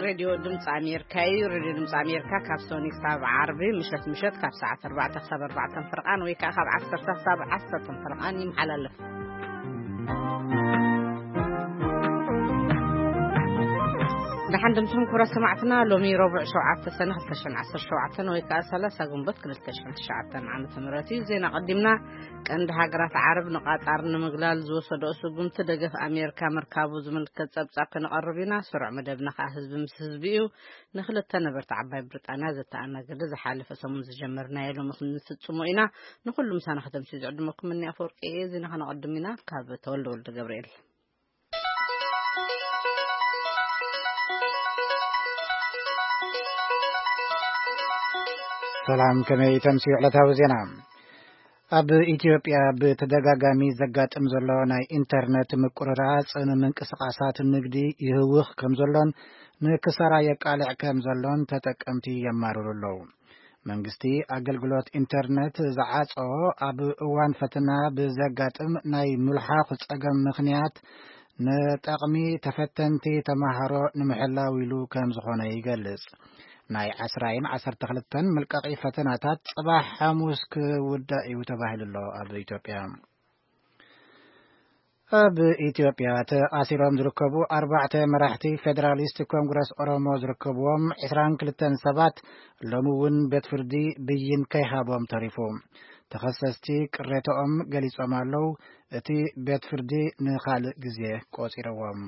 ሬድዮ ድምፂ ኣሜሪካ እዩ። ሬድዮ ድምፂ ኣሜሪካ ካብ ሶኒ ክሳብ ዓርቢ ምሸት ምሸት ካብ ሰዓት ኣርባዕተ ክሳብ ኣርባዕተ ፍርቓን ወይ ከዓ ካብ ዓሰርተ ክሳብ ዓሰርተ ፍርቓን ይመሓላለፍ። ደሓን ድምፅኹም ክቡራት ሰማዕትና፣ ሎሚ ረቡዕ ሸውዓተ ሰነ ክልተ ሽሕን ዓሰርተ ሸውዓተን ወይ ከዓ ሰላሳ ግንቦት ክልተ ሽሕን ትሽዓተን ዓመተ ምህረት እዩ። ዜና ቀዲምና። ቀንዲ ሃገራት ዓረብ ንቃጣር ንምግላል ዝወሰደኦ ስጉምቲ ደገፍ ኣሜሪካ ምርካቡ ዝምልከት ጸብጻብ ከነቐርብ ኢና። ስሩዕ መደብና ከኣ ህዝቢ ምስ ህዝቢ እዩ። ንክልተ ነበርቲ ዓባይ ብሪጣንያ ዘተኣናገደ ዝሓለፈ ሰሙን ዝጀመርናዮ ሎሚ ክንፍጽሞ ኢና። ንኹሉ ምሳና ከተምስዩ ዝዕድመኩም እኒ ኣፈወርቂ እየ። ዜና ከነቐድም ኢና። ካብ ተወልደ ወልደ ገብርኤል። ሰላም፣ ከመይ ተምስዩ ዕለታዊ ዜና? ኣብ ኢትዮጵያ ብተደጋጋሚ ዘጋጥም ዘሎ ናይ ኢንተርነት ምቁርራጽ ንምንቅስቓሳት ንግዲ ይህውኽ ከም ዘሎን ንክሳራ የቃልዕ ከም ዘሎን ተጠቀምቲ የማርሩ ኣለዉ። መንግስቲ ኣገልግሎት ኢንተርነት ዝዓጾ ኣብ እዋን ፈተና ብዘጋጥም ናይ ምልሓኽ ጸገም ምኽንያት ንጠቕሚ ተፈተንቲ ተማሃሮ ንምሕላው ኢሉ ከም ዝኾነ ይገልጽ። ናይ ዓስራን ዓሰርተ ክልተን መልቀቒ ፈተናታት ጽባሕ ሓሙስ ክውዳእ እዩ ተባሂሉ ኣሎ ኣብ ኢትዮጵያ። ኣብ ኢትዮጵያ ተኣሲሮም ዝርከቡ ኣርባዕተ መራሕቲ ፌደራሊስት ኮንግረስ ኦሮሞ ዝርከብዎም ዕስራን ክልተን ሰባት ሎሚ እውን ቤት ፍርዲ ብይን ከይሃቦም ተሪፉ። ተኸሰስቲ ቅሬታኦም ገሊጾም ኣለዉ። እቲ ቤት ፍርዲ ንኻልእ ግዜ ቆጺርዎም።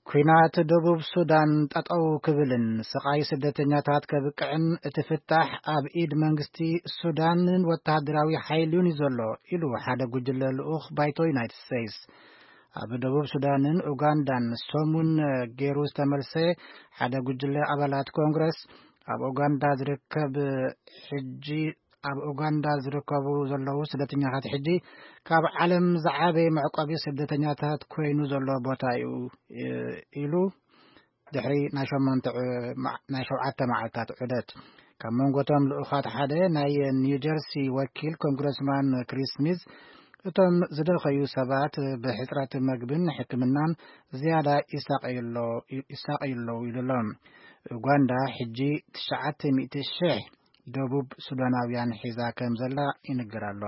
ኲናት ደቡብ ሱዳን ጠጠው ክብልን ስቓይ ስደተኛታት ከብቅዕን እቲ ፍታሕ ኣብ ኢድ መንግስቲ ሱዳንን ወተሃደራዊ ሓይሉን እዩ ዘሎ ኢሉ ሓደ ጉጅለ ልኡኽ ባይቶ ዩናይትድ ስቴትስ። ኣብ ደቡብ ሱዳንን ኡጋንዳን ሰሙን ገይሩ ዝተመልሰ ሓደ ጉጅለ ኣባላት ኮንግረስ ኣብ ኡጋንዳ ዝርከብ ሕጂ ኣብ ኡጋንዳ ዝርከቡ ዘለዉ ስደተኛታት ሕጂ ካብ ዓለም ዝዓበየ መዕቆቢ ስደተኛታት ኮይኑ ዘሎ ቦታ እዩ ኢሉ ድሕሪ ናይ ሸሞንተ ዑ- ማ- ናይ ሸውዓተ መዓልታት ዑደት። ካብ መንጎቶም ልኡኻት ሓደ ናይ ኒው ጀርሲ ወኪል ኮንግረስማን ክሪስ ስሚዝ እቶም ዝደኸዩ ሰባት ብሕፅረት መግብን ሕክምናን ዝያዳ ይሳቀዩ ኣለዉ ይሉ ኣሎ። ኡጋንዳ ሕጂ ትሽዓተ ሚእቲ ሽሕ ደቡብ ሱዳናውያን ሒዛ ከም ዘላ ይንገር ኣሎ።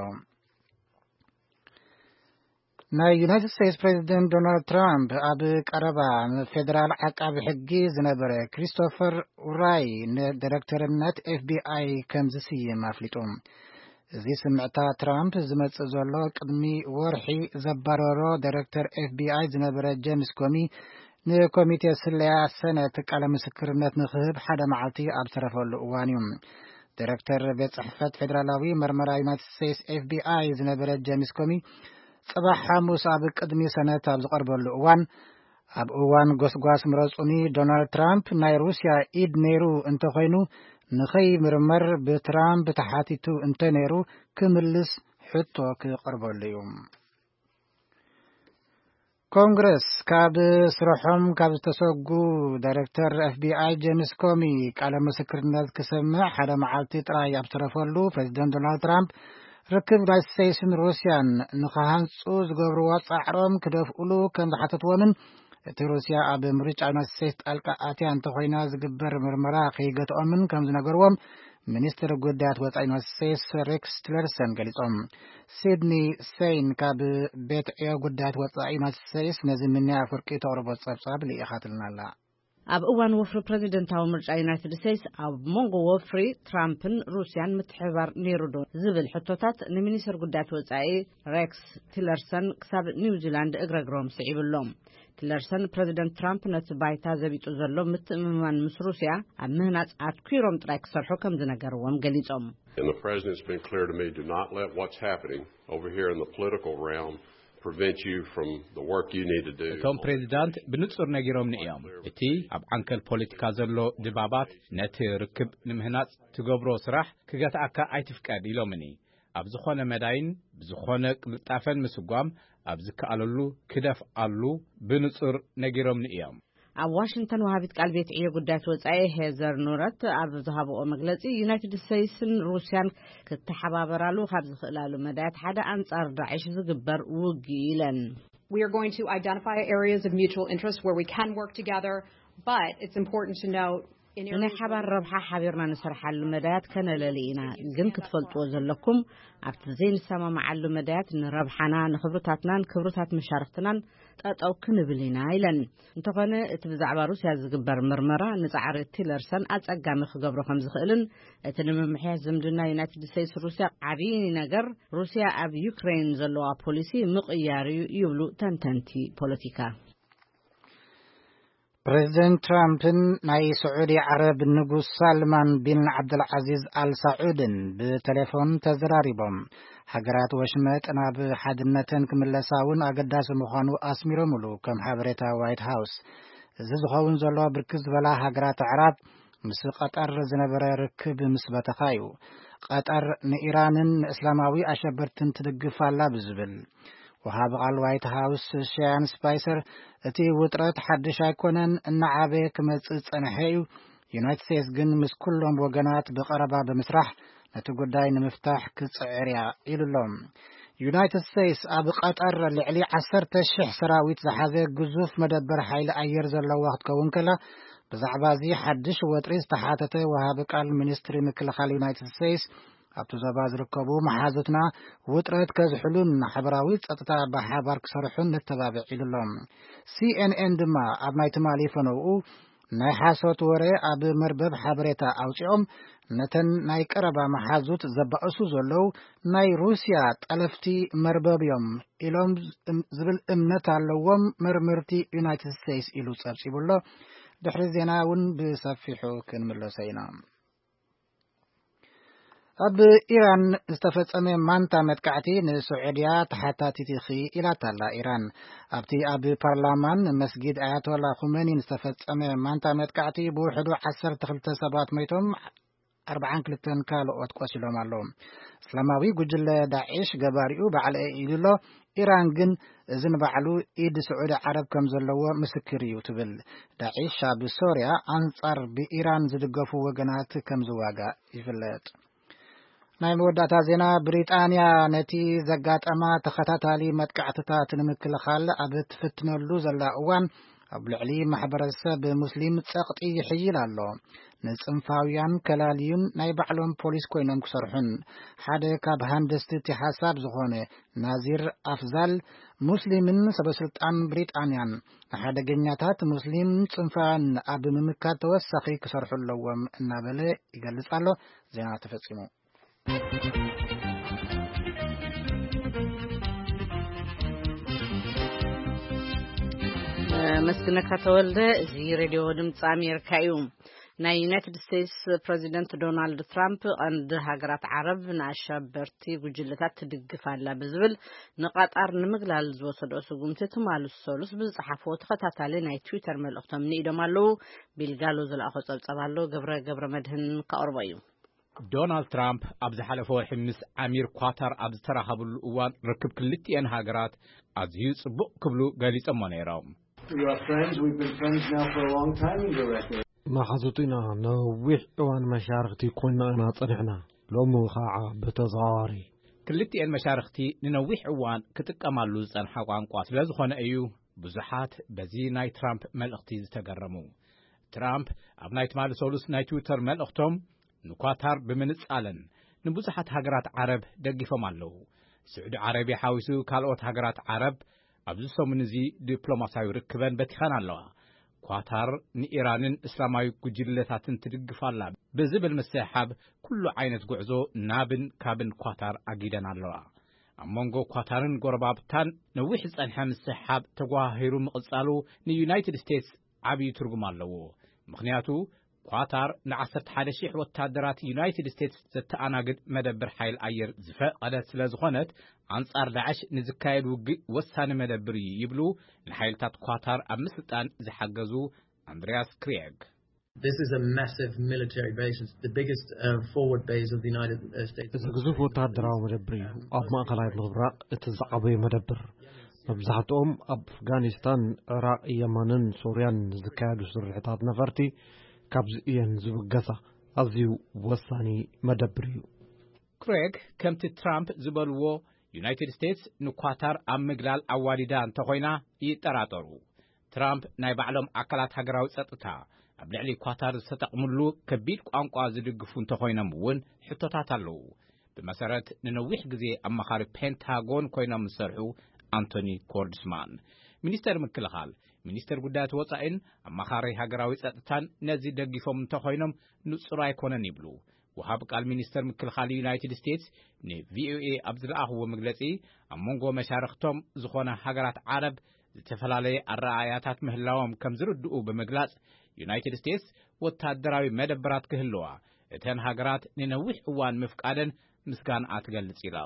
ናይ ዩናይትድ ስቴትስ ፕሬዚደንት ዶናልድ ትራምፕ ኣብ ቀረባ ንፌደራል ዓቃቢ ሕጊ ዝነበረ ክሪስቶፈር ውራይ ንዳይሬክተርነት ኤፍቢኣይ ከም ዝስይም ኣፍሊጡ። እዚ ስምዕታ ትራምፕ ዝመጽእ ዘሎ ቅድሚ ወርሒ ዘባረሮ ዳይሬክተር ኤፍቢኣይ ዝነበረ ጄምስ ኮሚ ንኮሚቴ ስለያ ሰነት ቃለ ምስክርነት ንክህብ ሓደ መዓልቲ ኣብ ዝተረፈሉ እዋን እዩ። ዳይሬክተር ቤት ጽሕፈት ፌደራላዊ መርመራ ዩናይትድ ስቴትስ ኤፍቢኣይ ዝነበረ ጄምስ ኮሚ ጽባሕ ሓሙስ ኣብ ቅድሚ ሰነት ኣብ ዝቐርበሉ እዋን ኣብ እዋን ጎስጓስ ምረጹኒ ዶናልድ ትራምፕ ናይ ሩስያ ኢድ ነይሩ እንተኾይኑ ንኸይምርመር ብትራምፕ ተሓቲቱ እንተነይሩ ክምልስ ሕቶ ክቐርበሉ እዩ። ኮንግረስ ካብ ስርሖም ካብ ዝተሰጉ ዳይሬክተር ኤፍቢኣይ ጄምስ ኮሚ ቃለ ምስክርነት ክሰምዕ ሓደ መዓልቲ ጥራይ ኣብ ዝተረፈሉ ፕሬዚደንት ዶናልድ ትራምፕ ርክብ ዩናይትድ ስቴትስን ሩስያን ንክሃንፁ ዝገብርዎ ፃዕሮም ክደፍኡሉ ከም ዝሓተትዎምን እቲ ሩስያ ኣብ ምርጫ ዩናይትድ ስቴትስ ጣልቃ ኣትያ እንተኮይና ዝግበር ምርመራ ከይገትኦምን ከም ዝነገርዎም ሚኒስትር ጉዳያት ወፃኢ ዩናይትድ ስቴትስ ሬክስ ቲለርሰን ገሊፆም። ሲድኒ ሴይን ካብ ቤት ዕዮ ጉዳያት ወፃኢ ዩናይትድ ስቴትስ ነዚ ሚኒያ ኣፍርቂ ተቕርቦ ፀብፃብ ልኢኻትልና ኣላ። ኣብ እዋን ወፍሪ ፕሬዚደንታዊ ምርጫ ዩናይትድ ስቴትስ ኣብ መንጎ ወፍሪ ትራምፕን ሩስያን ምትሕብባር ነይሩ ዶ ዝብል ሕቶታት ንሚኒስትር ጉዳያት ወፃኢ ሬክስ ቲለርሰን ክሳብ ኒውዚላንድ እግረግሮም ስዒብሎም። ቲለርሰን ፕሬዚደንት ትራምፕ ነቲ ባይታ ዘቢጡ ዘሎ ምትእምማን ምስ ሩስያ ኣብ ምህናፅ ኣትኲሮም ጥራይ ክሰርሑ ከም ዝነገርዎም ገሊፆም። And the president's been clear to me, do not let what's happening over here in the political realm prevent you from the work you need to do. እቶም ፕሬዚዳንት ብንጹር ነጊሮምኒ እዮም። እቲ ኣብ ዓንከል ፖለቲካ ዘሎ ድባባት ነቲ ርክብ ንምህናጽ ትገብሮ ስራሕ ክገትኣካ ኣይትፍቀድ ኢሎምኒ። ኣብ ዝኾነ መዳይን ብዝኾነ ቅልጣፈን ምስጓም ኣብ ዝከኣለሉ ክደፍኣሉ ብንጹር ነጊሮምኒ እዮም። ኣብ ዋሽንግተን ወሃቢት ቃል ቤት ዕዮ ጉዳያት ወጻኢ ሄዘር ኑረት ኣብ ዝሃብኦ መግለጺ ዩናይትድ ስቴትስን ሩስያን ክተሓባበራሉ ካብ ዝኽእላሉ መዳያት ሓደ ኣንጻር ዳዕሽ ዝግበር ውግእ ኢለን። We are going to identify areas of mutual interest where we can work together, but it's important to note in ናይ ሓባር ረብሓ ሓቢርና ንሰርሓሉ መዳያት ከነለሊ ኢና። ግን ክትፈልጥዎ ዘለኩም፣ ኣብቲ ዘይንሰማማዓሉ መዳያት ንረብሓና፣ ንክብርታትናን ክብርታት መሻርክትናን ጠጠው ክንብል ኢና ኢለን። እንተኾነ እቲ ብዛዕባ ሩስያ ዝግበር ምርመራ ንጻዕሪ ቲለርሰን ኣጸጋሚ ክገብሮ ከም ዝኽእልን እቲ ንምምሕያሽ ዝምድና ዩናይትድ ስቴትስ ሩስያ ዓብዪ ነገር ሩስያ ኣብ ዩክሬን ዘለዋ ፖሊሲ ምቕያር እዩ ይብሉ ተንተንቲ ፖለቲካ። ፕሬዚደንት ትራምፕን ናይ ስዑዲ ዓረብ ንጉስ ሳልማን ቢን ዓብደልዓዚዝ ኣልሳዑድን ብቴሌፎን ተዘራሪቦም። ሃገራት ወሽመጥ ናብ ሓድነተን ክምለሳ እውን ኣገዳሲ ምዃኑ ኣስሚሮምሉ፣ ከም ሓበሬታ ዋይት ሃውስ። እዚ ዝኸውን ዘሎ ብርክት ዝበላ ሃገራት ኣዕራብ ምስ ቀጠር ዝነበረ ርክብ ምስ በተኻ እዩ። ቀጠር ንኢራንን ንእስላማዊ ኣሸበርትን ትድግፍ ኣላ ብዝብል፣ ወሃቢ ቃል ዋይት ሃውስ ሸያን ስፓይሰር፣ እቲ ውጥረት ሓድሽ ኣይኮነን፣ እናዓበየ ክመጽእ ዝጸንሐ እዩ። ዩናይትድ ስቴትስ ግን ምስ ኩሎም ወገናት ብቐረባ ብምስራሕ ነቲ ጉዳይ ንምፍታሕ ክጽዕር እያ ኢሉ ኣሎ። ዩናይትድ ስቴትስ ኣብ ቀጠር ልዕሊ ዓሰርተ ሽሕ ሰራዊት ዝሓዘ ግዙፍ መደበር ሓይሊ ኣየር ዘለዋ ክትከውን ከላ፣ ብዛዕባ እዚ ሓድሽ ወጥሪ ዝተሓተተ ወሃቢ ቃል ሚኒስትሪ ምክልኻል ዩናይትድ ስቴትስ፣ ኣብቲ ዞባ ዝርከቡ መሓዙትና ውጥረት ከዝሕሉን ሓበራዊ ጸጥታ ብሓባር ክሰርሑን ነተባብዕ ኢሉ ኣሎ። ሲኤንኤን ድማ ኣብ ናይ ትማሊ ፈነውኡ ናይ ሓሶት ወረ ኣብ መርበብ ሓበሬታ ኣውጺኦም ነተን ናይ ቀረባ መሓዙት ዘባእሱ ዘለዉ ናይ ሩስያ ጠለፍቲ መርበብ እዮም ኢሎም ዝብል እምነት ኣለዎም መርመርቲ ዩናይትድ ስቴትስ ኢሉ ጸብጺቡ ኣሎ። ድሕሪ ዜና እውን ብሰፊሑ ክንምለሶ ኢና። ኣብ ኢራን ዝተፈጸመ ማንታ መጥቃዕቲ ንስዑድያ ተሓታቲት ኢኺ ኢላታ ኣላ ኢራን። ኣብቲ ኣብ ፓርላማን መስጊድ ኣያቶላ ኹመኒን ዝተፈጸመ ማንታ መጥቃዕቲ ብውሕዱ ዓሰርተ ክልተ ሰባት ሞይቶም ኣርብዓን ክልተን ካልኦት ቆሲሎም ኣለዉ። እስላማዊ ጉጅለ ዳዒሽ ገባሪኡ ባዕለ ኢሉ ኣሎ። ኢራን ግን እዚ ንባዕሉ ኢድ ስዑዲ ዓረብ ከም ዘለዎ ምስክር እዩ ትብል። ዳዒሽ ኣብ ሶርያ ኣንጻር ብኢራን ዝድገፉ ወገናት ከም ዝዋጋእ ይፍለጥ። ናይ መወዳእታ ዜና፣ ብሪጣንያ ነቲ ዘጋጠማ ተኸታታሊ መጥቃዕትታት ንምክልኻል ኣብ ትፍትነሉ ዘላ እዋን ኣብ ልዕሊ ማሕበረሰብ ሙስሊም ጸቕጢ ይሕይል ኣሎ። ንጽንፋውያን ከላልዩን ናይ ባዕሎም ፖሊስ ኮይኖም ክሰርሑን፣ ሓደ ካብ ሃንደስቲ እቲ ሓሳብ ዝኾነ ናዚር ኣፍዛል፣ ሙስሊምን ሰበስልጣን ብሪጣንያን ንሓደገኛታት ሙስሊም ጽንፋውያን ኣብ ምምካት ተወሳኺ ክሰርሑ ኣለዎም እናበለ ይገልጽ ኣሎ። ዜና ተፈጺሙ። መስግነካ ተወልደ። እዚ ሬድዮ ድምፂ ኣሜሪካ እዩ። ናይ ዩናይትድ ስቴትስ ፕረዚደንት ዶናልድ ትራምፕ ቀንዲ ሃገራት ዓረብ ንኣሸበርቲ ጉጅለታት ትድግፍ ኣላ ብዝብል ንቐጣር ንምግላል ዝወሰዶ ስጉምቲ ትማሊ ሰሉስ ብዝፀሓፍዎ ተኸታታሊ ናይ ትዊተር መልእኽቶም ንኢዶም ኣለዉ። ቢልጋሎ ዝለኣኾ ፀብፀብ ኣሎ። ገብረ ገብረ መድህን ከቕርቦ እዩ። ዶናልድ ትራምፕ ኣብ ዝሓለፈ ወርሒ ምስ ኣሚር ኳታር ኣብ ዝተራኸብሉ እዋን ርክብ ክልቲኤን ሃገራት ኣዝዩ ጽቡቕ ክብሉ ገሊጾሞ ነይሮም። We are friends. We've been friends now for a long time in Iraq. መሓዙት ኢና። ነዊሕ እዋን መሻርኽቲ ኮይና ኢና ጸኒሕና። ሎሚ ኸዓ ብተዘዋዋሪ። ክልቲኤን መሻርኽቲ ንነዊሕ እዋን ክጥቀማሉ ዝጸንሓ ቋንቋ ስለ ዝኾነ እዩ ብዙሓት በዚ ናይ ትራምፕ መልእኽቲ ዝተገረሙ። ትራምፕ ኣብ ናይ ትማሊ ሰሉስ ናይ ትዊተር መልእኽቶም ንኳታር ብምንጻለን ንብዙሓት ሃገራት ዓረብ ደጊፎም ኣለዉ። ስዑዲ ዓረብያ ሓዊሱ ካልኦት ሃገራት ዓረብ ኣብዚ ሰሙን እዚ ዲፕሎማስያዊ ርክበን በቲኸን ኣለዋ። ኳታር ንኢራንን እስላማዊ ጉጅለታትን ትድግፍ ኣላ ብዝብል ምስሕሓብ ኩሉ ዓይነት ጉዕዞ ናብን ካብን ኳታር ኣጊደን ኣለዋ። ኣብ መንጎ ኳታርን ጎረባብታን ነዊሕ ዝጸንሐ ምስሕሓብ ተጓሃሂሩ ምቕጻሉ ንዩናይትድ ስቴትስ ዓብዪ ትርጉም ኣለዎ። ምኽንያቱ ኳታር ን ዓሰርተ ሓደ ሺሕ ወታደራት ዩናይትድ ስቴትስ ዘተኣናግድ መደብር ሓይል ኣየር ዝፈቐደት ስለ ዝኾነት ኣንጻር ዳዕሽ ንዝካየድ ውግእ ወሳኒ መደብር እዩ ይብሉ ንሓይልታት ኳታር ኣብ ምስልጣን ዝሓገዙ ኣንድሪያስ ክሪየግ። This is a massive military base. It's the biggest uh, forward base of the United uh, States. እዚ ግዙፍ ወታደራዊ መደብር እዩ። ኣብ ማእከላይ ምብራቕ እቲ ዝዓበየ መደብር። መብዛሕትኦም ኣብ ኣፍጋኒስታን፣ ዕራቕ፣ የመንን ሶርያን ዝካየዱ ስርሒታት ነፈርቲ ካብዚ እየን ዝብገሳ። ኣዝዩ ወሳኒ መደብር እዩ። ክሬግ ከምቲ ትራምፕ ዝበልዎ ዩናይትድ ስቴትስ ንኳታር ኣብ ምግላል ኣዋዲዳ እንተኾይና ይጠራጠሩ። ትራምፕ ናይ ባዕሎም ኣካላት ሃገራዊ ጸጥታ ኣብ ልዕሊ ኳታር ዝተጠቕምሉ ከቢድ ቋንቋ ዝድግፉ እንተኾይኖም እውን ሕቶታት ኣለዉ። ብመሰረት ንነዊሕ ግዜ ኣማኻሪ ፔንታጎን ኮይኖም ዝሰርሑ ኣንቶኒ ኮርድስማን፣ ሚኒስተር ምክልኻል፣ ሚኒስተር ጉዳያት ወጻኢን ኣማኻሪ ሃገራዊ ጸጥታን ነዚ ደጊፎም እንተኾይኖም ንጹር ኣይኮነን ይብሉ። ወሃብ ቃል ሚኒስተር ምክልኻል ዩናይትድ ስቴትስ ንቪኦኤ ኣብ ዝለኣኽዎ መግለጺ፣ ኣብ መንጎ መሻርኽቶም ዝኾነ ሃገራት ዓረብ ዝተፈላለየ ኣረኣእያታት ምህላዎም ከም ዝርድኡ ብምግላጽ፣ ዩናይትድ ስቴትስ ወታደራዊ መደበራት ክህልዋ እተን ሃገራት ንነዊሕ እዋን ምፍቃደን ምስጋንኣ ትገልጽ ኢላ።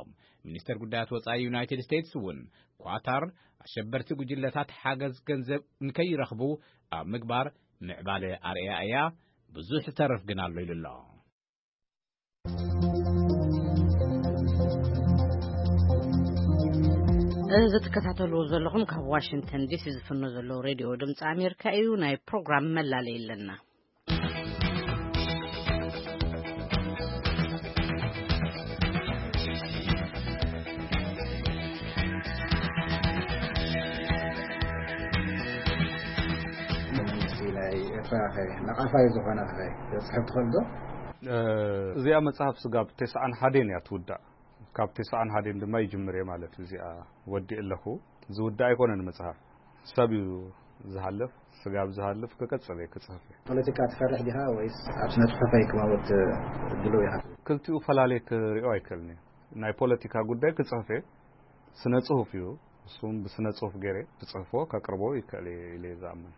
ሚኒስተር ጉዳያት ወጻኢ ዩናይትድ ስቴትስ እውን ኳታር ኣሸበርቲ ጉጅለታት ሓገዝ ገንዘብ ንከይረኽቡ ኣብ ምግባር ምዕባለ ኣርእያ እያ፣ ብዙሕ ዝተርፍ ግን ኣሎ ኢሉ ኣሎ። እዚ ትከታተልዎ ዘለኹም ካብ ዋሽንግተን ዲሲ ዝፍኖ ዘሎ ሬድዮ ድምፂ ኣሜሪካ እዩ። ናይ ፕሮግራም መላለይ ኣለና። መንግስቲ ናይ ኤርትራ ኸ ነቓፋይ ዝኾነ ኸ ዘጽሕፍ ትኽእል ዶ? እ፣ እዚኣ መጽሓፍ ስጋብ ተስዓን ሓደን እያ ትውዳእ። ካብ ተስዓን ሓደን ድማ ይጅምር እየ ማለት እዩ። እዚኣ ወዲእ ኣለኹ። ዝውዳእ ኣይኮነን መጽሓፍ። ሰብ እዩ ዝሃልፍ፣ ስጋብ ዝሃልፍ ክቀጽል እየ ክጽሕፍ እየ። ፖለቲካ ትፈርሕ ዲኻ ወይስ ኣብ ስነ ጽሑፍ ኣይክማወት ድሉው ኢኻ? ክልቲኡ ፈላልየ ክሪኦ ኣይክእልን እየ። ናይ ፖለቲካ ጉዳይ ክጽሕፍ እየ። ስነ ጽሑፍ እዩ። እሱም ብስነ ጽሑፍ ገይረ ክጽሕፎ ከቅርቦ ይክእል እየ ኢለ እየ ዝኣምን።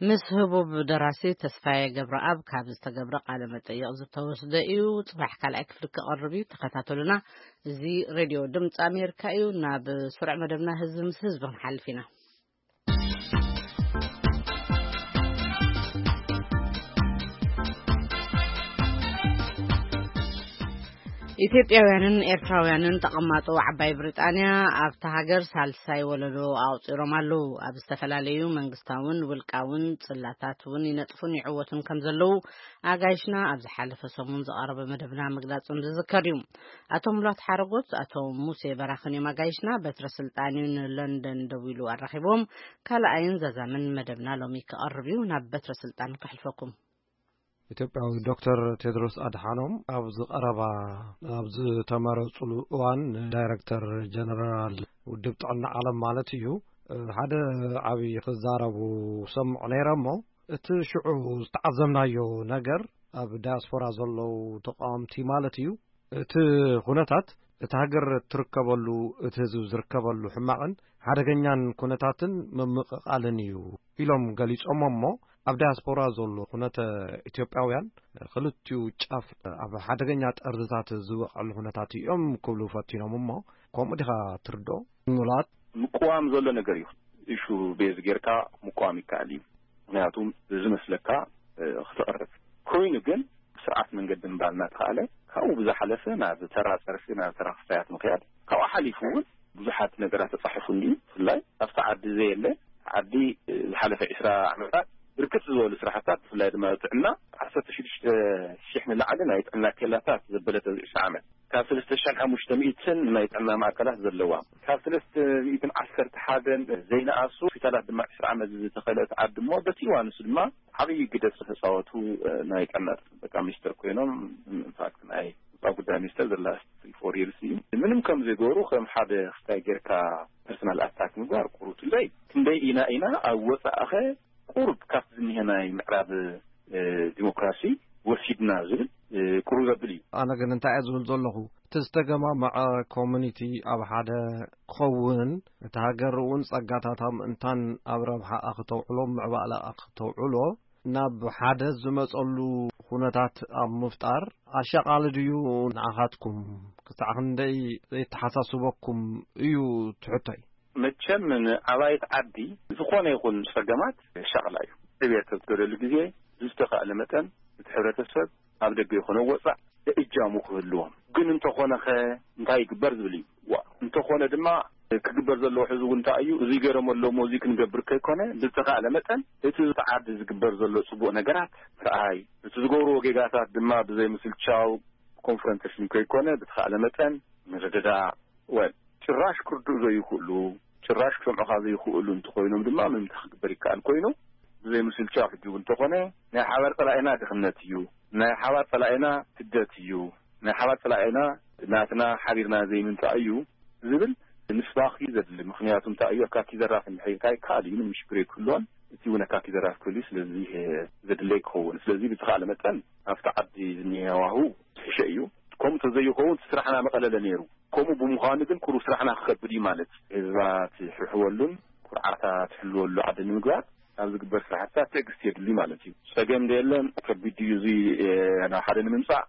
ምስ ህቡብ ደራሲ ተስፋዬ ገብረኣብ ካብ ዝተገብረ ቃለ መጠይቕ ዝተወስደ እዩ። ጽባሕ ካልኣይ ክፍሊ ክቐርብ እዩ። ተኸታተሉና። እዚ ሬድዮ ድምፂ ኣሜሪካ እዩ። ናብ ስሩዕ መደብና ህዝቢ ምስ ህዝቢ ክንሓልፍ ኢና። ኢትዮጵያውያንን ኤርትራውያንን ተቐማጦ ዓባይ ብሪጣንያ ኣብታ ሃገር ሳልሳይ ወለዶ ኣቑጺሮም ኣለዉ። ኣብ ዝተፈላለዩ መንግስታውን ውልቃውን ጽላታት እውን ይነጥፉን ይዕወቱን ከም ዘለዉ ኣጋይሽና ኣብ ዝሓለፈ ሰሙን ዝቐረበ መደብና ምግላጾም ዝዝከር እዩ። ኣቶ ሙላት ሓረጎት፣ ኣቶ ሙሴ በራኽን እዮም ኣጋይሽና። በትረ ስልጣን እዩ ንለንደን ደዊሉ ኣራኺቦም። ካልኣይን ዛዛምን መደብና ሎሚ ክቐርብ እዩ። ናብ በትረ ስልጣን ከሕልፈኩም። ኢትዮጵያዊ ዶክተር ቴድሮስ ኣድሓኖም ኣብዚ ቀረባ ኣብ ዝተመረጹሉ እዋን ዳይረክተር ጀነራል ውድብ ጥዕና ዓለም ማለት እዩ፣ ሓደ ዓብዪ ክዛረቡ ሰምዑ ነይረ እሞ፣ እቲ ሽዑ ዝተዓዘብናዮ ነገር ኣብ ዳያስፖራ ዘለዉ ተቃወምቲ ማለት እዩ፣ እቲ ኩነታት እቲ ሃገር ትርከበሉ፣ እቲ ህዝቢ ዝርከበሉ ሕማቕን ሓደገኛን ኩነታትን ምምቕቓልን እዩ ኢሎም ገሊጾሞ እሞ፣ ኣብ ዳያስፖራ ዘሎ ኩነተ ኢትዮጵያውያን ክልቲኡ ጫፍ ኣብ ሓደገኛ ጠርዝታት ዝወቐሉ ኩነታት እዮም ክብሉ ፈቲኖም እሞ፣ ከምኡ ዲኻ ትርድኦ? ሙላት። ምቅዋም ዘሎ ነገር እዩ። ኢሹ ቤዝ ጌርካ ምቅዋም ይከኣል እዩ። ምክንያቱም ዝመስለካ፣ እ፣ ክትቐርብ ኮይኑ ግን ስርዓት መንገዲ ምባል እናተኻእለ ካብኡ ብዝሓለፈ ናብ ተራ ጸርፊ፣ ናብ ተራ ክስታያት ምኽያድ፣ ካብኡ ሓሊፉ እውን ብዙሓት ነገራት ተጻሒፉ እንድዩ። ብፍላይ ኣብቲ ዓዲ ዘየለ ዓዲ፣ እ፣ ዝሓለፈ ዕስራ ዓመታት ብርክት ዝበሉ ስራሕታት፣ ብፍላይ ድማ ጥዕና፣ ዓሰርተ ሽዱሽተ ሺሕ ንላዕሊ ናይ ጥዕና ኬላታት ዘበለተ እዚ ዕስራ ዓመት፣ ካብ ሰለስተ ሽሕን ሓሙሽተ ሚእትን ናይ ጥዕና ማእከላት ዘለዋ፣ ካብ ሰለስተ ሚእትን ዓሰርተ ሓደን ዘይነኣሱ ሆስፒታላት ድማ ዕስራ ዓመት ዝተኸለት ዓዲ እሞ፣ በቲ እዋን ንሱ ድማ ዓብዪ ግደ ዝተፃወቱ፣ እ፣ ናይ ጥዕና ጥበቃ ሚኒስተር ኮይኖም፣ ኢንፋክት ናይ ውፃ ጉዳይ ሚኒስተር ዘላ ፎር ይርስ እዩ። ምንም ከም ዘይገበሩ ከም ሓደ ክስታይ ጌርካ ፐርሰናል ኣታክ ምግባር ቁሩብ ትለይ። ክንደይ ኢና ኢና ኣብ ወፃእኸ ቁሩብ ካብቲ ዝኒሀ ናይ ምዕራብ፣ እ፣ ዲሞክራሲ ወሲድና ዝብል፣ እ፣ ቁሩብ ዘብል እዩ። ኣነ ግን እንታይ እየ ዝብል ዘለኹ፣ እቲ ዝተገማመዐ ኮሚኒቲ ኣብ ሓደ ክኸውን፣ እቲ ሃገር እውን ጸጋታታ ምእንታን ኣብ ረብሓኣ ክተውዕሎ፣ ምዕባለኣ ክተውዕሎ፣ ናብ ሓደ ዝመጸሉ ኩነታት ኣብ ምፍጣር ኣሻቓሊ ድዩ ንዓኻትኩም? ክሳዕ ክንደይ ዘይተሓሳስበኩም እዩ ትሕቶይ። መቸም ንዓባይት ዓዲ ዝኾነ ይኹን ጸገማት ሻቕላ እዩ። ዕብየት ኣብ ትገደሉ ግዜ ብዝተኻእለ መጠን እቲ ሕብረተሰብ ኣብ ደገ ይኹን ኣብ ወጻእ እጃሙ ክህልዎም። ግን እንተኾነ ኸ እንታይ ይግበር ዝብል እዩ። ዋ፣ እንተኾነ ድማ ክግበር ዘለዎ ሕዚ እውን እንታይ እዩ? እዚ ገይሮም ኣለዉ እሞ እዚ ክንገብር ከይኮነ ብዝተኻእለ መጠን እቲ ዓዲ ዝግበር ዘሎ ጽቡቕ ነገራት ምርኣይ፣ እቲ ዝገብርዎ ጌጋታት ድማ ብዘይ ምስልቻው ኮንፍሮንቴሽን ከይኮነ ብዝተኻእለ መጠን ምርድዳእ፣ ወል ጭራሽ ክርድኡ ዘይክእሉ፣ ጭራሽ ክሰምዑኻ ዘይክእሉ እንተኾይኖም ድማ ምምታ ክግበር ይከኣል ኮይኑ፣ ብዘይ ምስልቻው ሕጂ እውን እንተኾነ ናይ ሓባር ጸላኢና ድኽነት እዩ፣ ናይ ሓባር ጸላኢና ስደት እዩ፣ ናይ ሓባር ጸላኢና ናትና ሓቢርና ዘይምንጻእ እዩ ዝብል ምስባኽ እዩ ዘድሊ። ምኽንያቱ እንታይ እዩ፣ ኣካኪ ዘራፍ እንድሕር ኢልካ ይከኣል እዩ፣ ምንም ሽግር ኣይክህልዎን። እቲ እውን ኣካኪ ዘራፍ ክህሉ እዩ። ስለዚ ዘድለይ ክኸውን። ስለዚ ብዝኸኣለ መጠን ኣብቲ ዓዲ ዝኒሀ ሃዋህው ዝሕሸ እዩ። ከምኡ ተዘይኸውን እቲ ስራሕና መቐለለ ነይሩ። ከምኡ ብምዃኑ ግን ኩሩ ስራሕና ክኸብድ እዩ ማለት እዩ። ህዝባ ትሕርሕወሉን ኩርዓታ ትሕልወሉ ዓዲ ንምግባር ኣብ ዝግበር ስራሕትታት ትዕግስቲ የድሊ ማለት እዩ። ጸገም ደየለን ከቢድ እዩ እዚ ናብ ሓደ ንምምጻእ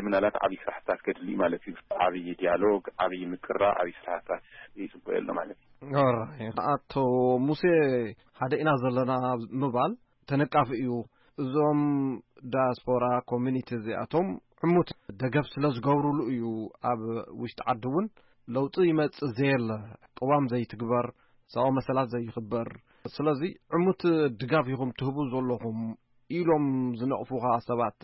ምናልባት ዓብዪ ስራሕትታት ከድሊ ማለት እዩ። ዓብዪ ዲያሎግ፣ ዓብዪ ምቅራ፣ ዓብዪ ስራሕትታት ይጽበ የሎ ማለት እዩ። ኣቶ ሙሴ፣ ሓደ ኢና ዘለና ምባል ተነቃፊ እዩ። እዞም ዳያስፖራ ኮሚኒቲ እዚኣቶም ዕሙት ደገፍ ስለ ዝገብሩሉ እዩ ኣብ ውሽጢ ዓዲ እውን ለውጢ ይመጽእ ዘየለ፣ ቅዋም ዘይትግበር፣ ሰብኣዊ መሰላት ዘይኽበር። ስለዚ ዕሙት ድጋፍ ኢኹም ትህቡ ዘለኹም ኢሎም ዝነቕፉኻ ሰባት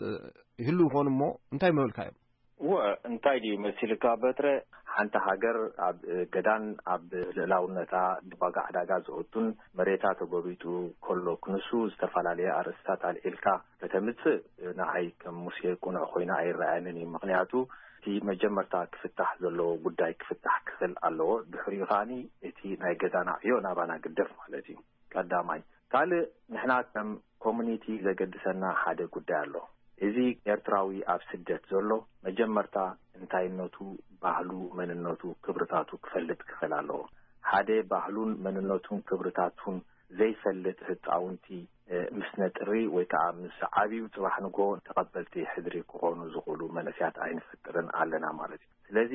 ይህሉ ይኾኑ እሞ እንታይ ምበልካ እዮም? እወ፣ እንታይ ድዩ መሲልካ በትረ? ሓንቲ ሃገር ኣብ ገዳን ኣብ ልእላውነታ ዋጋ ዕዳጋ ዘወቱን መሬታ ተጎቢጡ ከሎ ክንሱ ዝተፈላለየ ኣርእስታት ኣልዒልካ ከተምጽእ ንዓይ ከም ሙሴ ቁኑዕ ኮይና ኣይረኣየንን እዩ። ምኽንያቱ እቲ መጀመርታ ክፍታሕ ዘለዎ ጉዳይ ክፍታሕ ክኽእል ኣለዎ። ድሕሪኡ ከዓኒ እቲ ናይ ገዛና ዕዮ ናባና ግደፍ ማለት እዩ። ቀዳማይ። ካልእ ንሕና ከም ኮሙኒቲ ዘገድሰና ሓደ ጉዳይ ኣሎ። እዚ ኤርትራዊ ኣብ ስደት ዘሎ መጀመርታ እንታይነቱ፣ ባህሉ፣ መንነቱ፣ ክብርታቱ ክፈልጥ ክኽእል ኣለዎ። ሓደ ባህሉን መንነቱን ክብርታቱን ዘይፈልጥ ህፃውንቲ ምስ ነጥሪ ወይ ከዓ ምስ ዓብዩ ፅባሕ ንጎ ተቐበልቲ ሕድሪ ክኾኑ ዝኽእሉ መንእስያት ኣይንፈጥርን ኣለና ማለት እዩ። ስለዚ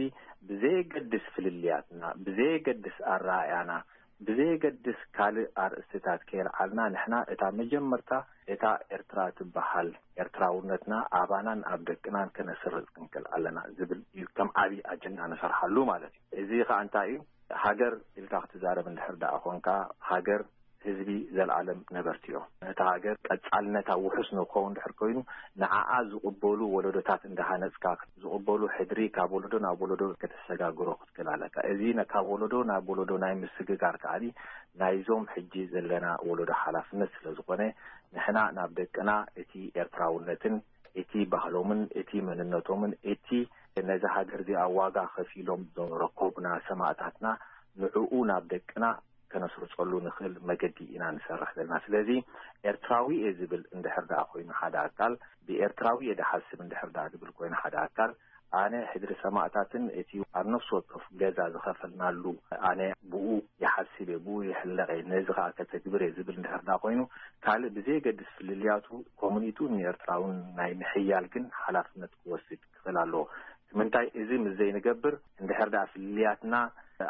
ብዘየገድስ ፍልልያትና፣ ብዘየገድስ ኣረኣእያና፣ ብዘየገድስ ካልእ ኣርእስትታት ከየልዓልና ንሕና እታ መጀመርታ እታ ኤርትራ ትበሃል ኤርትራውነትና ኣባናን ኣብ ደቅናን ከነስርጽ ክንክእል ኣለና ዝብል እዩ ከም ዓብዪ ኣጀንዳ ንሰርሓሉ ማለት እዩ። እዚ ከዓ እንታይ እዩ? ሃገር ኢልካ ክትዛረብ እንድሕር ደኣ ኾንካ ሃገር ህዝቢ ዘልኣለም ነበርቲ እዮም። ነታ ሃገር ቀጻልነታ ውሑስ ንክኸውን ድሕር ኮይኑ ንዓኣ ዝቕበሉ ወለዶታት እንዳሃነጽካ ዝቕበሉ ሕድሪ ካብ ወለዶ ናብ ወለዶ ከተሰጋግሮ ክትክእል ኣለካ። እዚ ካብ ወለዶ ናብ ወለዶ ናይ ምስግጋር ከዓኒ ናይዞም ሕጂ ዘለና ወለዶ ሓላፍነት ስለ ዝኾነ ንሕና ናብ ደቅና እቲ ኤርትራውነትን እቲ ባህሎምን እቲ መንነቶምን እቲ ነዚ ሃገር እዚኣ ዋጋ ከፊሎም ዘረከቡና ሰማእታትና ንዕኡ ናብ ደቅና ከነስርጸሉ ንኽእል መገዲ ኢና ንሰርሕ ዘለና። ስለዚ ኤርትራዊ እየ ዝብል እንድሕር ደኣ ኮይኑ ሓደ ኣካል ብኤርትራዊ እየ ድሓስብ እንድሕር ደኣ ዝብል ኮይኑ ሓደ ኣካል ኣነ ሕድሪ ሰማእታትን እቲ ኣብ ነፍሲ ወከፍ ገዛ ዝኸፈልናሉ ኣነ ብኡ ይሓስብ እየ፣ ብኡ ይሕለቕ እየ፣ ነዚ ከዓ ከተግብር እየ ዝብል እንድሕር ደኣ ኮይኑ ካልእ ብዘየገድስ ፍልልያቱ ኮሙኒቱ ንኤርትራውን ናይ ምሕያል ግን ሓላፍነት ክወስድ ክኽእል ኣለዎ። ምንታይ እዚ ምስ ዘይንገብር እንድሕር ደኣ ፍልልያትና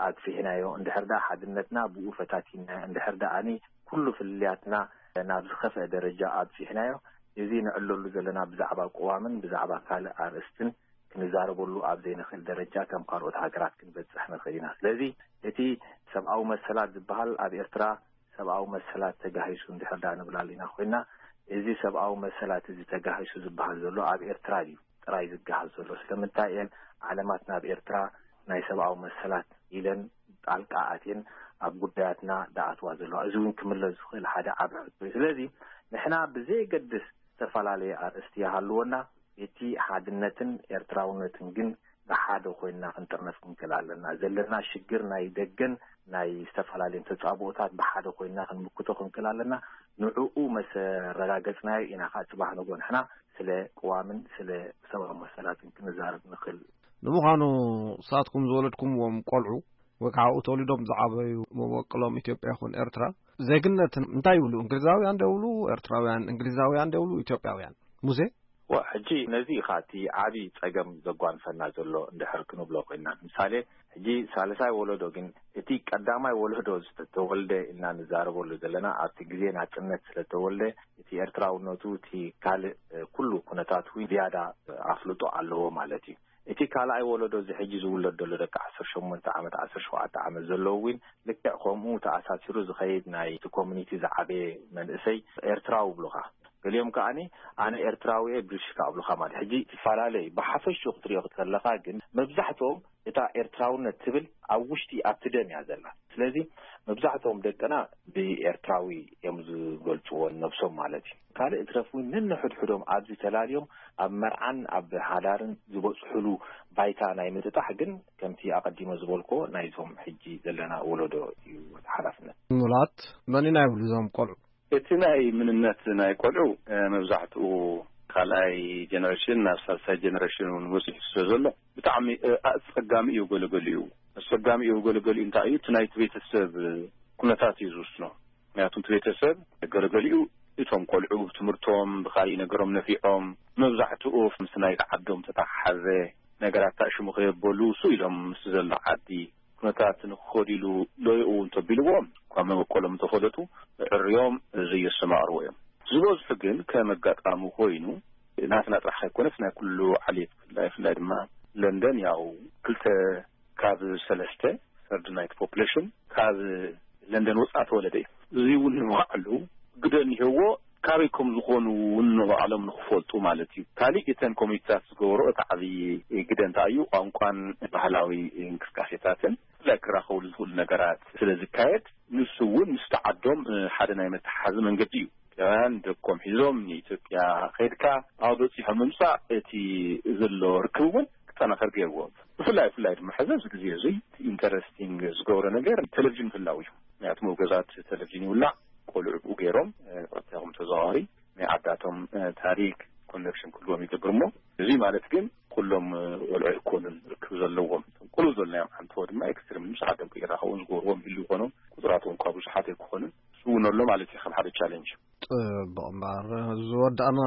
ኣግፊሕናዮ፣ እንድሕር ደኣ ሓድነትና ብኡ ፈታቲናዮ፣ እንድሕር ደኣ ኩሉ ፍልልያትና ናብ ዝኸፍአ ደረጃ ኣብጺሕናዮ፣ እዚ ንዕለሉ ዘለና ብዛዕባ ቅዋምን ብዛዕባ ካልእ ኣርእስትን ክንዛረበሉ ኣብ ዘይንኽእል ደረጃ ከም ካልኦት ሃገራት ክንበጽሕ ንኽእል ኢና። ስለዚ እቲ ሰብኣዊ መሰላት ዝበሃል ኣብ ኤርትራ ሰብኣዊ መሰላት ተጋሂሱ እንድሕር ደኣ ንብል ኣለና ኮይና፣ እዚ ሰብኣዊ መሰላት እዚ ተጋሂሱ ዝበሃል ዘሎ ኣብ ኤርትራ ድዩ ጥራይ ዝገሃስ ዘሎ? ስለምንታይ እየን ዓለማት ናብ ኤርትራ ናይ ሰብኣዊ መሰላት ኢለን ጣልቃ ኣትየን ኣብ ጉዳያትና ደኣትዋ ዘለዋ? እዚ እውን ክምለስ ዝኽእል ሓደ ዓቢ ሕቶ እዩ። ስለዚ ንሕና ብዘየገድስ ዝተፈላለየ ኣርእስቲ ይሃልወና፣ እቲ ሓድነትን ኤርትራውነትን ግን ብሓደ ኮይንና ክንጥርነፍ ክንክእል ኣለና። ዘለና ሽግር ናይ ደገን ናይ ዝተፈላለየን ተጻብኦታት ብሓደ ኮይንና ክንምክቶ ክንክእል ኣለና። ንዕኡ መሰረጋገጽናዮ ኢና ከዓ ጽባሕ ንጎ ንሕና ስለ ቅዋምን ስለ ሰብኣዊ መሰላትን ክንዛረብ ንኽእል። ንምዃኑ ንሳትኩም ዝወለድኩምዎም ቆልዑ ወይ ከዓ ኣብኡ ተወሊዶም ዝዓበዩ መበቆሎም ኢትዮጵያ ይኹን ኤርትራ ዜግነት እንታይ ይብሉ? እንግሊዛውያን ዶ ይብሉ? ኤርትራውያን እንግሊዛውያን ዶ ይብሉ? ኢትዮጵያውያን? ሙሴ? ዋ ሕጂ ነዚ ኢኻ እቲ ዓቢ ጸገም ዘጓንፈና ዘሎ እንድሕር ክንብሎ ኮይና ንምሳሌ ሕጂ ሳልሳይ ወለዶ ግን እቲ ቀዳማይ ወለዶ ዝተወልደ ኢልና ንዛረበሉ ዘለና ኣብቲ ግዜ ናጽነት ስለተወልደ እቲ ኤርትራውነቱ እቲ ካልእ ኩሉ ኩነታቱ ዝያዳ ኣፍልጦ ኣለዎ ማለት እዩ። እቲ ካልኣይ ወለዶ እዚ ሕጂ ዝውለድ ዘሎ ደቂ ዓሰርተ ሸሞንተ ዓመት ዓሰርተ ሸውዓተ ዓመት ዘለዉ እውን ልክዕ ከምኡ ተኣሳሲሩ ዝኸይድ ናይ እቲ ኮሚኒቲ ዝዓበየ መንእሰይ ኤርትራዊ ይብሉኻ። ገሊኦም ከዓኒ ኣነ ኤርትራዊ እየ ብልሽካ ኣብሉኻ ማለት። ሕጂ ትፈላለዩ ብሓፈሽኡ ክትሪኦ ከለኻ ግን መብዛሕትኦም እታ ኤርትራውነት ትብል ኣብ ውሽጢ ኣብቲ ደም እያ ዘላ። ስለዚ መብዛሕትኦም ደቅና ብኤርትራዊ እዮም ዝገልጽዎ ነብሶም ማለት እዩ። ካልእ እትረፍ እውን ነንሕድሕዶም ኣብዚ ተላልዮም ኣብ መርዓን ኣብ ሓዳርን ዝበጽሕሉ ባይታ ናይ ምጥጣሕ ግን ከምቲ ኣቐዲመ ዝበልክዎ ናይቶም ሕጂ ዘለና ወለዶ እዩ እቲ ሓላፍነት። ሙላት መን ኢና ይብሉ እዞም ቆልዑ? እቲ ናይ ምንነት ናይ ቆልዑ፣ እ፣ መብዛሕትኡ ካልኣይ ጀነሬሽን ናብ ሳልሳይ ጀነሬሽን እውን ወፂሑ ስለ ዘሎ ብጣዕሚ፣ እ፣ ኣፀጋሚ እዩ። ገለገሊኡ ኣፀጋሚ እዩ። ገለገሊኡ እንታይ እዩ? እቲ ናይቲ ቤተሰብ ኩነታት እዩ ዝውስኖ። ምክንያቱ እቲ ቤተሰብ ገለገሊኡ እቶም ቆልዑ ብትምህርቶም ብካሊእ ነገሮም ነፊዖም፣ መብዛሕትኡ ምስ ናይ ዓዶም ተተሓሓዘ ነገራት ታሽሙ ከየበሉ እሱ ኢሎም ምስ ዘሎ ዓዲ ኩነታት ንክኸዱ ኢሉ ሎየኡ እንተቢልዎም እኳ መበቆሎም እንተፈለጡ ዕርዮም ዘየሰማቕርዎ እዮም። ዝበዝሑ ግን ከም ኣጋጣሚ ኮይኑ ናትና ጥራሕ ኣይኮነስ ናይ ኩሉ ዓሌት ብፍላይ ብፍላይ ድማ ለንደን ያው ክልተ ካብ ሰለስተ ሰርድ ናይቲ ፖፕሌሽን ካብ ለንደን ወፃእ ተወለደ እዩ። እዚ እውን ንባዕሉ ግደ እኒሄዎ ካበይ ከም ዝኾኑ እውን ንባዕሎም ንክፈልጡ ማለት እዩ። ካሊእ እተን ኮሚኒቲታት ዝገበሮ እቲ ዓብዪ ግደ እንታይ እዩ? ቋንቋን ባህላዊ እንቅስቃሴታትን ብፍላይ ክራኸብሉ ዝኽእሉ ነገራት ስለ ዝካየድ ንሱ እውን ምስቲ ዓዶም ሓደ ናይ መተሓሓዚ መንገዲ እዩ። ኢትዮጵያውያን ደቆም ሒዞም ንኢትዮጵያ ከይድካ ኣብ በፂሖም ምምፃእ እቲ ዘሎ ርክብ እውን ክጠናኸር ገይርዎ። ብፍላይ ብፍላይ ድማ ሕዚ ኣብዚ ግዜ እዚ ኢንተረስቲንግ ዝገብሮ ነገር ቴሌቪዥን ምህላው እዩ። ምክንያቱ መውገዛት ቴሌቪዥን ይውላዕ፣ ቆልዑ ብኡ ገይሮም ቀጥታ ይኹን ተዘዋዋሪ ናይ ዓዳቶም ታሪክ ኮኔክሽን ክህልዎም ይገብር። እሞ እዚ ማለት ግን ኩሎም ቆልዑ ኣይኮኑን ርክብ ዘለዎም። ቁሉል ዘለናዮም ሓንተወ ድማ ኤክስትሪም ምስ ዓዶም ከይራኸቡን ዝገብርዎም ይህሉ ይኾኖም። ቁፅራቶም እኳ ብዙሓት ኣይክኾኑን። እሱ እውን ኣሎ ማለት እዩ ከም ሓደ ቻሌንጅ። ጽቡቕ እምበኣር ዝወዳእና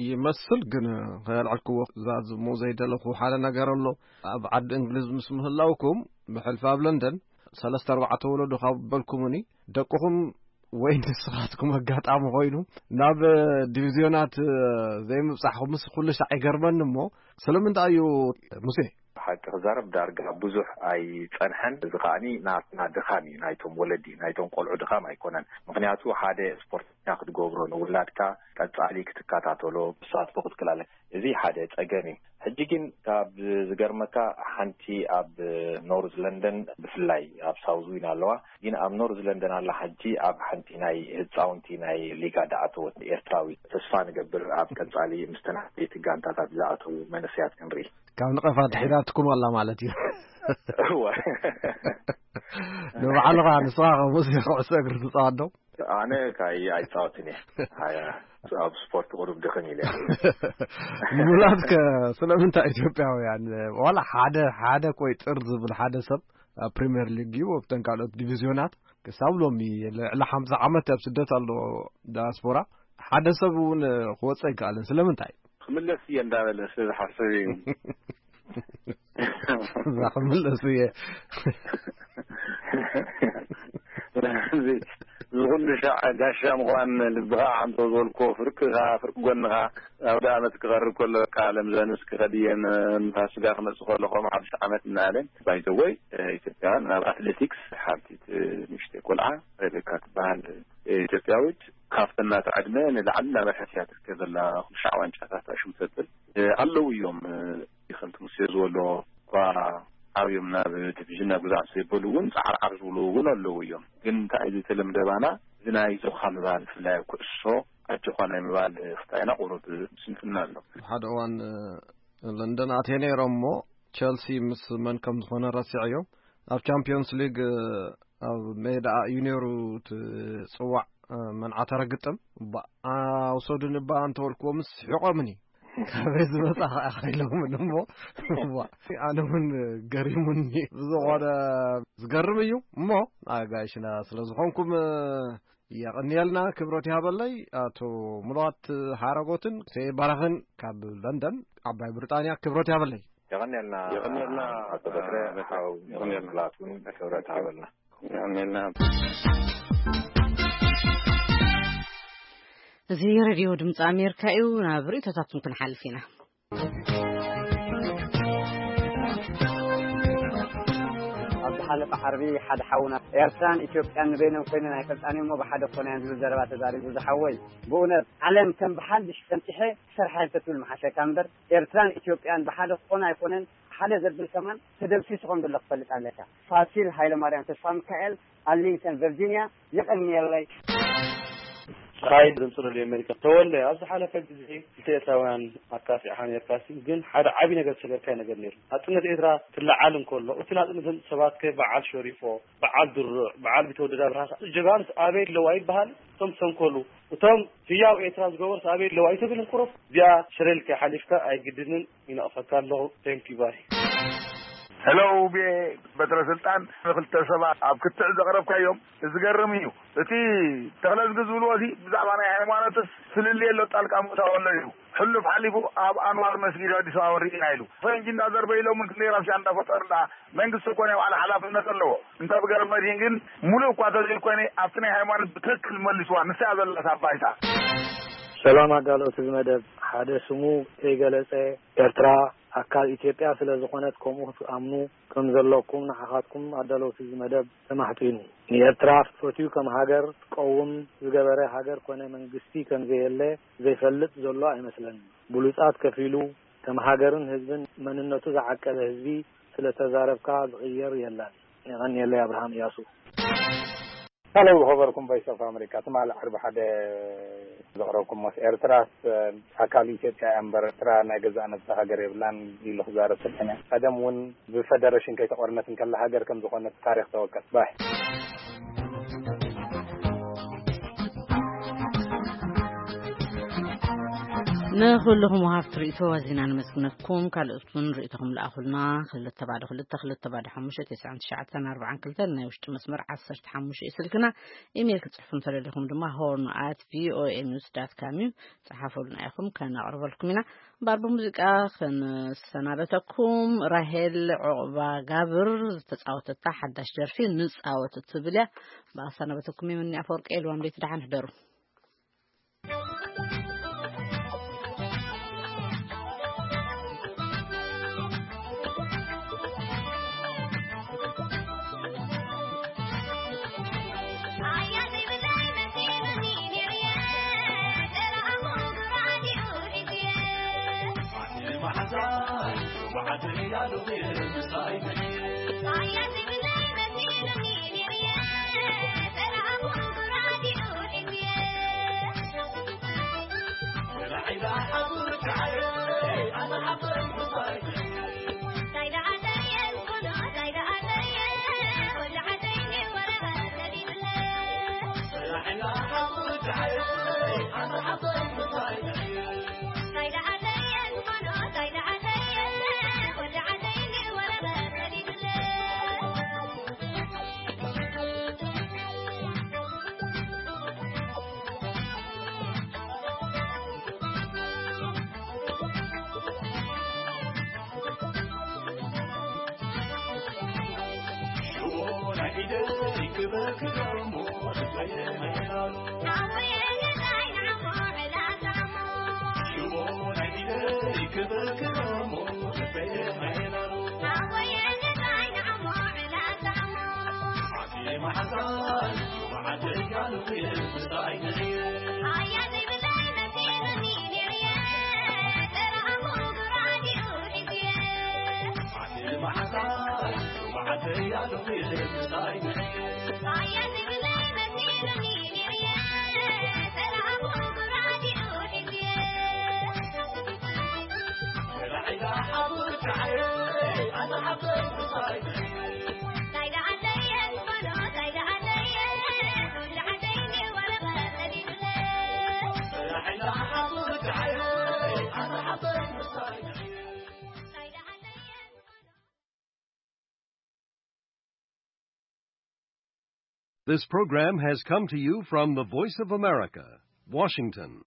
ይመስል፣ ግን ከየልዐልክዎ ክዛዝሙ ዘይደለኹ ሓደ ነገር ኣሎ። ኣብ ዓዲ እንግሊዝ ምስ ምህላውኩም ብሕልፊ ኣብ ለንደን ሰለስተ ኣርባዕተ ወለዶ ካብ በልኩምኒ ደቅኹም ወይ ንስኻትኩም ኣጋጣሚ ኮይኑ ናብ ዲቪዝዮናት ዘይምብጻሕኩምስ ኩሉ ሻዕ ይገርመኒ። እሞ ስለምንታይ እዩ ሙሴ? ብሓቂ ክዛረብ ዳርጋ ብዙሕ ኣይጸንሐን። እዚ ከኣኒ ናትና ድኻም እዩ፣ ናይቶም ወለዲ ናይቶም ቆልዑ ድኻም ኣይኮነን። ምኽንያቱ ሓደ ስፖርተኛ ክትገብሮ ንውላድካ ቀጻሊ ክትከታተሎ ብሳትፎ ክትክላለ እዚ ሓደ ጸገም እዩ። ሕጂ ግን ካብ ዝገርመካ ሓንቲ ኣብ ኖርዝ ለንደን ብፍላይ ኣብ ሳውዝ ዊን ኣለዋ፣ ግን ኣብ ኖርዝ ለንደን ኣላ ሓጂ ኣብ ሓንቲ ናይ ህፃውንቲ ናይ ሊጋ ዝኣተወት ኤርትራዊ። ተስፋ ንገብር ኣብ ቀጻሊ ምስተን ዓበይቲ ጋንታታት ዝኣተዉ መንእሰያት ክንርኢ። ካብ ንቐፋ ድሒራትኩም ኣላ ማለት እዩ። እወ። ንባዕልኻ ንስኻ ከምኡ ኩዕሶ እግሪ ትፃወት ዶ? ኣነ ካይ ኣይፃወትን እየ። ኣያ፣ ኣብ ስፖርት ቁሩብ ድኽም ኢለ። ሙላትከ ስለምንታይ ኢትዮጵያውያን ዋላ ሓደ ሓደ ቆይ ጥር ዝብል ሓደ ሰብ ኣብ ፕሪምየር ሊግ እዩ ኣብተን ካልኦት ዲቪዝዮናት ክሳብ ሎሚ ልዕሊ ሓምሳ ዓመት ኣብ ስደት ኣሎ ዳያስፖራ ሓደ ሰብ እውን ክወፅእ ኣይከኣልን። ስለምንታይ? ክምለስ እየ እንዳበለ ስለ ዝሓስብ እዩ። እዛ ክምለስ እየ። እዚ ኩሉ ሻዕ ጋሻ ምዃን ልብኻ ዓንቶ ዝበልኮ ፍርቅኻ ፍርቂ ጎንኻ ኣብ ዳኣመት ክቐርብ ከሎ በቃ ለምዘንስ ክኸድየን ንፋስጋ ክመጽእ ከሎ ከም ሓድሽ ዓመት እናበለ ባይዘወይ ኢትዮጵያውያን ናብ ኣትሌቲክስ ሓንቲ ንእሽተይ ቆልዓ ሬቤካ ትበሃል ኢትዮጵያዊት ካብተን ናታ ዕድመ ንላዕሊ እናበርሐት እያ ትርከብ ዘላ። ኩሉ ሻዕ ዋንጫታት ኣሽሙ ተብል ኣለዉ እዮም። ከምቲ ሙሴ ዝበሎ እኳ ዓብዮም ናብ ዲቪዥን ናብ ግዛት ዘይበሉ እውን ፃዕርዓር ዝብሉ እውን ኣለዉ እዮም። ግን እንታይ እዩ ዝተለምደ ባና እዚ ናይ ዞኻ ምባል ብፍላይ ኣብ ኩዕሶ ኣጆኻ ናይ ምባል ክታይና ቁሩብ ስንፍና ኣሎ። ሓደ እዋን ለንደን ኣትየ ነይሮም እሞ ቸልሲ ምስ መን ከም ዝኾነ ረሲዐዮ። ኣብ ቻምፒዮንስ ሊግ ኣብ ሜዳ ዩኔሩ ትጽዋዕ መንዓ ተረግጥም። በኣ ውሰዱኒ በኣ እንተበልክዎምስ ስሒቖምኒ። ካበይ ዝመጻ ከኣ ኢሎምን እሞ እዋ፣ ኣነ እውን ገሪሙኒ። ብዝኾነ ዝገርም እዩ እሞ ኣጋይሽና ስለ ዝኾንኩም የቐንየልና፣ ክብረት ይሃበለይ። ኣቶ ሙሉዋት ሓረጎትን ሴ ባራኽን ካብ ለንደን ዓባይ ብሪጣንያ ክብረት ይሃበለይ። የቐንየልና። የቐንየልና። ኣቶ በትረ፣ ኣቶ በትረ፣ ሓው የቐንየልና። ሙሉዋት እውን ክብረት ይሃበልና። የቐንየልና። እዚ ሬድዮ ድምፂ ኣሜሪካ እዩ። ናብ ርእይቶታትኩም ክንሓልፍ ኢና። ኣብዚ ኣለቃ ሓርቢ ሓደ ሓውና፣ ኤርትራን ኢትዮጵያን ንበይኖም ኮይነን ኣይፈልጣን እሞ ብሓደ ክኾና እየን ዝብል ዘረባ ተዛሪቡ። ዝሓወይ፣ ብእውነት ዓለም ከም ብሓድሽ ፈንጢሐ ክሰርሓ እየን ተትብል መሓሸካ እምበር፣ ኤርትራን ኢትዮጵያን ብሓደ ክኾና ኣይኮነን። ሓደ ዘብል ከማን ተደምሲሱ ከም ዘሎ ክፈልጥ ኣለካ። ፋሲል ሃይለማርያም ተስፋ ሚካኤል፣ ኣርሊንግተን ቨርጂኒያ። የቐንየለይ። ራይ ድምፂ ሬድዮ ኣሜሪካ። ተወለ፣ ኣብ ዝሓለፈ ግዜ ክልተ ኤርትራውያን ኣካፊዕኻ ነርካሲ፣ ግን ሓደ ዓብዪ ነገር ዝሰገርካዮ ነገር ነይሩ። ናጽነት ኤርትራ ክለዓል እንከሎ፣ እቲ ናጽነት ዘምጽእ ሰባት ከ በዓል ሸሪፎ፣ በዓል ድሩዕ፣ በዓል ቢተወደድ ኣብርሃ፣ ጀጋኑስ ኣበይ ኣለዉ ኣይበሃል? እቶም ዝሰንከሉ፣ እቶም ህያው ኤርትራ ዝገበሩስ ኣበይ ኣለዉ ኣይትብል እንኩሮፍ? እዚኣ ሽረ ኢልካ ሓሊፍካ ኣይግድንን፣ ይነቕፈካ ኣለኹ። Thank you፣ bye። ሄሎ፣ ውቤ በትረ ስልጣን፣ ንክልተ ሰባት ኣብ ክትዕ ዘቕረብካዮም ዝገርም እዩ። እቲ ተኽለዝጊ ዝብልዎ እዚ ብዛዕባ ናይ ሃይማኖትስ ፍልልይ ኣሎ፣ ጣልቃ ምእታው ኣሎ ኢሉ። ሕሉፍ ሓሊፉ ኣብ ኣንዋር መስጊድ ኣዲስ ኣበባ ርኢና ኢሉ። ፈንጂ እንዳዘርበዩ ኢሎምን ክንደይ ረብሻ እንዳፈጠሩ ደኣ መንግስቲ እኮ ናይ ባዕሉ ሓላፍነት ኣለዎ። እንተ ብገረድ መድሂን ግን ሙሉእ እኳ ተዘይኮነ ኣብቲ ናይ ሃይማኖት ብትክክል መሊስዋ። ንሳ እያ ዘላታ ባይታ። ሰላም ኣዳለውቲ እዚ መደብ። ሓደ ስሙ ከይገለጸ ኤርትራ ኣካል ኢትዮጵያ ስለ ዝኾነት ከምኡ ክትኣምኑ ከም ዘለኩም ንዓኻትኩም ኣዳለውቲ እዚ መደብ ተማሕጺኑ። ንኤርትራ ፈትዩ ከም ሃገር ትቀውም ዝገበረ ሃገር ኮነ መንግስቲ ከም ዘየለ ዘይፈልጥ ዘሎ ኣይመስለንን። ብሉጻት ከፊሉ ከም ሃገርን ህዝብን መንነቱ ዝዓቀበ ህዝቢ ስለ ተዛረብካ ዝቕየር የለን። የቐንየለይ። ኣብርሃም እያሱ። ሃሎ፣ ዝኸበርኩም ቮይስ ኦፍ ኣሜሪካ፣ ትማሊ ዓርቢ ሓደ ዘቕረብኩሞስ፣ ኤርትራስ ኣካል ኢትዮጵያ እያ እምበር፣ ኤርትራ ናይ ገዛእ ነብሳ ሃገር የብላን ኢሉ ክዛረብ ሰሚዐ። ቀደም እውን ብፈደረሽን ከይተቖርነት እንከላ ሃገር ከም ዝኾነት ታሪኽ ተወቀስ። ባይ። ንኹልኹም ወሃብቲ ርእይቶ ኣዚና ነመስግነኩም። ካልኦት እውን ርእይቶኹም ለኣኹልና። ክልተ ባዶ ክልተ፣ ክልተ ባዶ ሓሙሽተ፣ ተስዓን ትሽዓተን ኣርባዓን ክልተን፣ ናይ ውሽጢ መስመር ዓሰርተ ሓሙሽተ እዩ ስልክና። ኢሜይል ክትጽሕፉ እንተደሊኹም ድማ ሆርን ኣት ቪኦኤ ኒውስ ዳት ካም እዩ። ጸሓፉልና ኢኹም፣ ከነቕርበልኩም ኢና። እምበኣር ብሙዚቃ ክንሰናበተኩም፣ ራሄል ዑቕባ ጋብር ዝተጻወተታ ሓዳሽ ደርፊ ንጻወት እትብል እያ። ብኣሰናበተኩም የምኒ ኣፈወርቂ፣ ኤልዋም ለይቲ ደሓን ሕደሩ። This program has come to you from the Voice of America, Washington.